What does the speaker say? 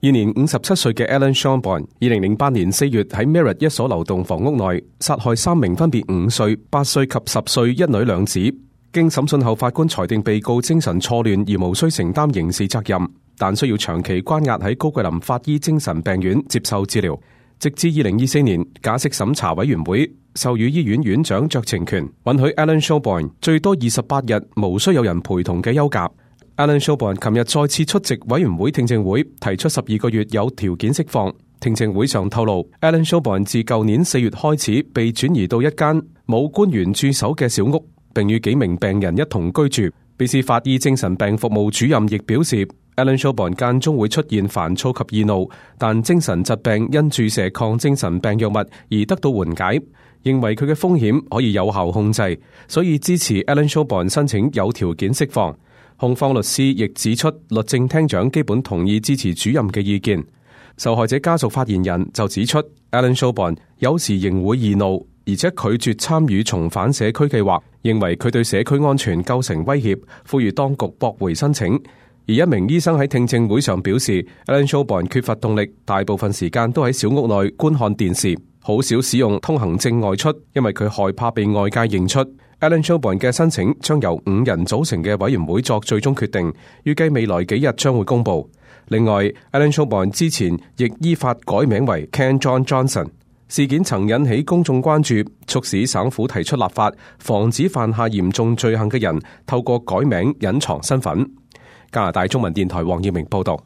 現年57歲嘅 Alan Shelburne 2008年4月喺 Merritt 一所流動房屋內殺害3名分別5歲、8歲及10歲一女兩子。經審訊後，法官裁定被告精神錯亂而無需承擔刑事責任，但需要長期關押喺高桂林法醫精神病院接受治療，直至2024年假釋審查委員會授予醫院院長酌情權，允許 Alan Shelburne 最多28日無需有人陪同嘅休假。Alan Shelburne 琴日再次出席委員會聽證會，提出12個月有條件釋放。聽證會上透露 ，Alan Shelburne 自舊年4月開始被轉移到一間冇官員駐守嘅小屋，並與幾名病人一同居住。卑斯法醫精神病服務主任亦表示 ，Alan Shelburne 間中會出現煩躁及易怒，但精神疾病因注射抗精神病藥物而得到緩解，認為佢嘅風險可以有效控制，所以支持 Alan Shelburne 申請有條件釋放。控方律師亦指出，律政廳長基本同意支持主任嘅意見。受害者家屬發言人就指出 ，Alan Shelburne 有時仍會易怒，而且拒絕參與重返社區計劃，認為佢對社區安全構成威脅，呼籲當局駁回申請。而一名醫生喺聽證會上表示 ，Alan Shelburne 缺乏動力，大部分時間都喺小屋內觀看電視，好少使用通行證外出，因為佢害怕被外界認出。Alan Shelburne 嘅申請將由5人組成嘅委員會作最終決定，預計未來幾日將會公佈。另外 ，Alan Shelburne 之前亦依法改名為 Ken John Johnson。事件曾引起公眾關注，促使省府提出立法，防止犯下嚴重罪行嘅人透過改名隱藏身份。加拿大中文電台黃耀明報道。